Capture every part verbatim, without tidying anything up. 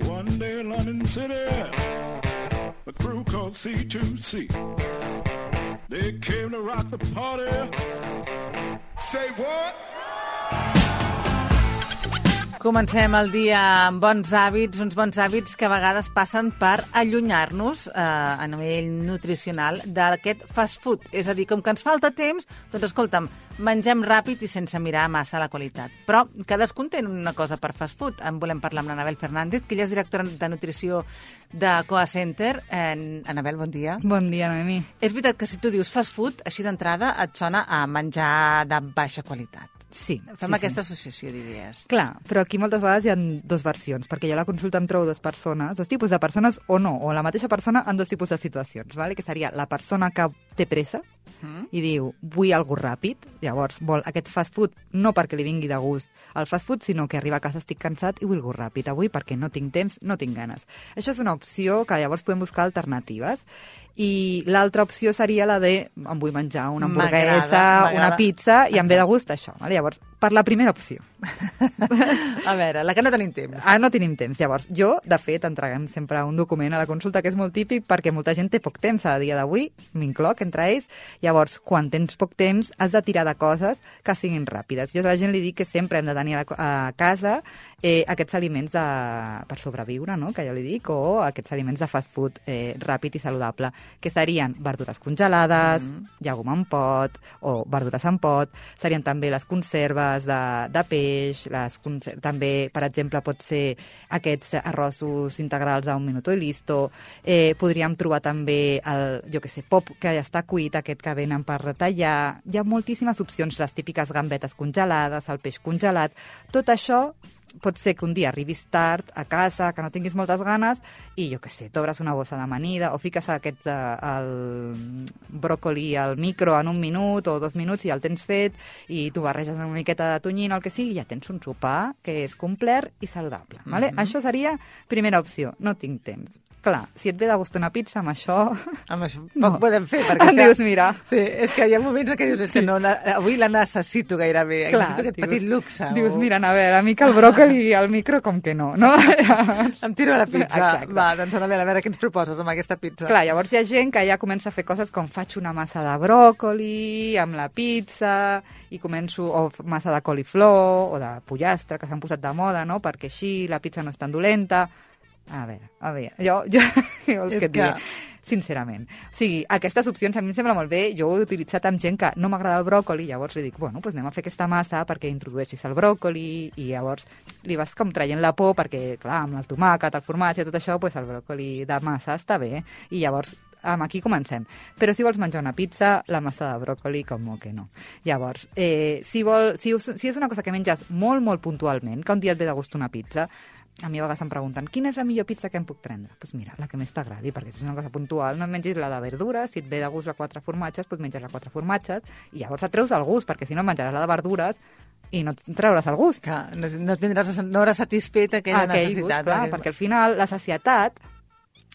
One day in London City, a crew called C two C. They came to rock the party. Say what? Comencem el dia amb bons hàbits, uns bons hàbits que a vegades passen per allunyar-nos eh, a nivell nutricional d'aquest fast food. És a dir, com que ens falta temps, doncs escolta'm, mengem ràpid i sense mirar massa la qualitat. Però cadascun té una cosa per fast food. En volem parlar amb l'Anabel Fernández, que ella és directora de nutrició de Coa Center. Eh, Anabel, bon dia. Bon dia, Noemi. És veritat que si tu dius fast food, així d'entrada et sona a menjar de baixa qualitat. Sí. Fem sí, aquesta sí. associació d'idees. Clar, però aquí moltes vegades hi ha dues versions, perquè jo a la consulta em trobo dues persones, dos tipus de persones o no, o la mateixa persona en dos tipus de situacions, vale? Que seria la persona que té pressa mm. i diu, vull algo ràpid, llavors vol aquest fast food no perquè li vingui de gust el fast food, sinó que arriba a casa estic cansat i vull algo ràpid avui perquè no tinc temps, no tinc ganes. Això és una opció que llavors podem buscar alternatives. I l'altra opció seria la de em vull menjar una hamburguesa, una pizza i em ve de gust això. Vale? Llavors, per la primera opció. A veure, la que no tenim temps. Ah, no tenim temps. Llavors, jo, de fet, entreguem sempre un document a la consulta que és molt típic perquè molta gent té poc temps a dia d'avui, m'incloc entre ells. Llavors, quan tens poc temps, has de tirar de coses que siguin ràpides. Jo a la gent li dic que sempre hem de tenir a, la, a casa eh, aquests aliments de, per sobreviure, no? Que jo li dic, o aquests aliments de fast food eh, ràpid i saludable, que serien verdures congelades, mm. llegum en pot, o verdures en pot, serien també les conserves de, de peix, les conser també, per exemple, pot ser aquests arrossos integrals a un minuto i listo, eh, podríem trobar també el, jo que sé, pop que ja està cuit, aquest que venen per retallar, hi ha moltíssimes opcions, les típiques gambetes congelades, el peix congelat, tot això pot ser que un dia arribis tard a casa, que no tinguis moltes ganes, i jo què sé, t'obres una bossa d'amanida o fiques aquest, uh, el bròcoli al micro en un minut o dos minuts i ja el tens fet, i tu barreges una miqueta de tonyina o el que sigui, i ja tens un sopar que és complet i saludable. Mm-hmm. Vale? Això seria primera opció, no tinc temps. Clar, si et ve de gust una pizza, amb això... Amb això poc no. podem fer, perquè... Em dius, mira... Sí, és que hi ha moments en què dius, és que no, la, avui la necessito gairebé, clar, necessito aquest dius, petit luxe. Dius, o... mira, a veure, a mi que el bròcoli al micro com que no, no? Em tiro a la pizza. Exacte. Va, doncs a veure, a veure què ens proposes amb aquesta pizza. Clar, llavors hi ha gent que ja comença a fer coses com faig una massa de bròcoli amb la pizza i començo, o massa de coliflor o de pollastre, que s'han posat de moda, no? Perquè així la pizza no és tan dolenta. A veure, a veure, jo, jo, jo els que et diré, sincerament. O sigui, aquestes opcions a mi em sembla molt bé, jo ho he utilitzat amb gent que no m'agrada el bròcoli, llavors li dic, bueno, doncs anem a fer aquesta massa perquè introdueixis el bròcoli, i llavors li vas com traient la por perquè, clar, amb el tomàquet, el formatge i tot això, doncs el bròcoli de massa està bé, i llavors amb aquí comencem. Però si vols menjar una pizza, la massa de bròcoli, com que no. Llavors, eh, si, vol, si, si és una cosa que menges molt, molt puntualment, que un dia et ve de gust una pizza, a mi a vegades em pregunten, quina és la millor pizza que em puc prendre? Doncs pues mira, la que més t'agradi, perquè si és una cosa puntual, no et mengis la de verdures, si et ve de gust la quatre formatges, doncs menges la quatre formatges, i llavors et treus el gust, perquè si no menjaràs la de verdures i no et trauràs el gust. Clar, no, no, tindràs, no hauràs satisfet aquella Aquell necessitat. Gust, clar, perquè al final la sacietat,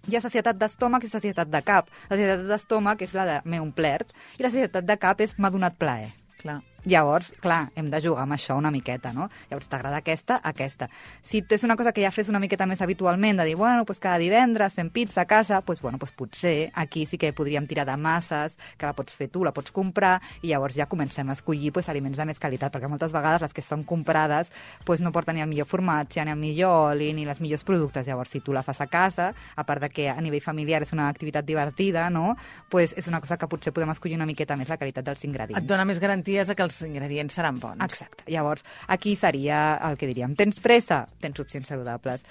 hi ha sacietat d'estómac i sacietat de cap. La sacietat d'estómac és la de m'he omplert, i la sacietat de cap és m'ha donat plaer. Clar. Llavors, clar, hem de jugar amb això una miqueta, no? Llavors, t'agrada aquesta, aquesta. Si és una cosa que ja fes una miqueta més habitualment, de dir, bueno, pues cada divendres fem pizza a casa, pues, bueno, pues potser aquí sí que podríem tirar de masses, que la pots fer tu, la pots comprar, i llavors ja comencem a escollir pues, aliments de més qualitat, perquè moltes vegades les que són comprades pues, no porten ni el millor formatge, ni el millor oli, ni els millors productes. Llavors, si tu la fas a casa, a part de que a nivell familiar és una activitat divertida, no? Pues és una cosa que potser podem escollir una miqueta més la qualitat dels ingredients. Et dona més garanties de que els ingredients seran bons. Exacte. Llavors, aquí seria el que diríem. Tens pressa? Tens opcions saludables.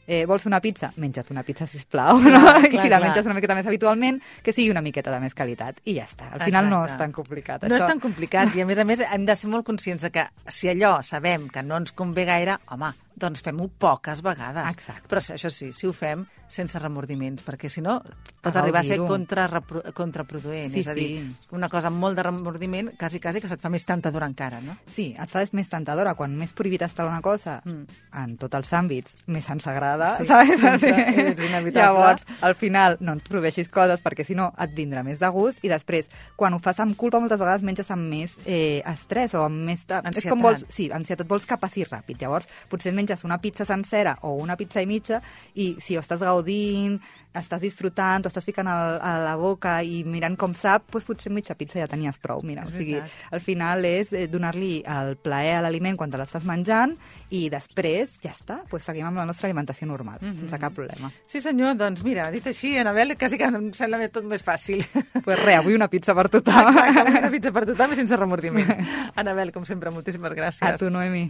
Eh, vols una pizza? Menja't una pizza, sisplau. No? Clar, I si la clar. menges una miqueta més habitualment, que sigui una miqueta de més qualitat. I ja està. Al final Exacte. no és tan complicat. No això. és tan complicat. I a més a més hem de ser molt conscients de que si allò sabem que no ens convé gaire, home, doncs fem-ho poques vegades. Exacte. Però això sí, si ho fem sense remordiments, perquè si no pot arribar a ser contra, contraproduent. Sí, és a dir, sí. una cosa amb molt de remordiment, quasi, quasi que se't fa més tentadora encara, no? Sí, et fa més tentadora. Quan més prohibit està una cosa, mm. en tots els àmbits, més ens agrada, sí, saps? Sí, és inevitable. Llavors, al final, no ens prohibeixis coses, perquè si no et vindrà més de gust, i després, quan ho fas amb culpa, moltes vegades menges amb més eh, estrès o amb més... De... Ansietat. És com vols... Sí, ansietat, vols que passi ràpid. Llavors, potser et menges una pizza sencera o una pizza i mitja i si ho estàs gaudint, estàs disfrutant, t'ho estàs ficant a, a la boca i mirant com sap, doncs potser mitja pizza ja tenies prou. Mira, o sigui, al final és donar-li el plaer a l'aliment quan te l'estàs menjant i després ja està, doncs seguim amb la nostra alimentació normal, mm-hmm. sense cap problema. Sí senyor, doncs mira, dit així, Anabel, quasi que em sembla tot més fàcil. Doncs pues res, avui una pizza per tothom. Exacte, avui una pizza per tothom i sense remordiments. Anabel, com sempre, moltíssimes gràcies. A tu, Noemi.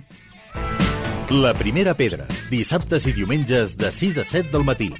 La primera pedra, dissabtes i diumenges de sis a set del matí.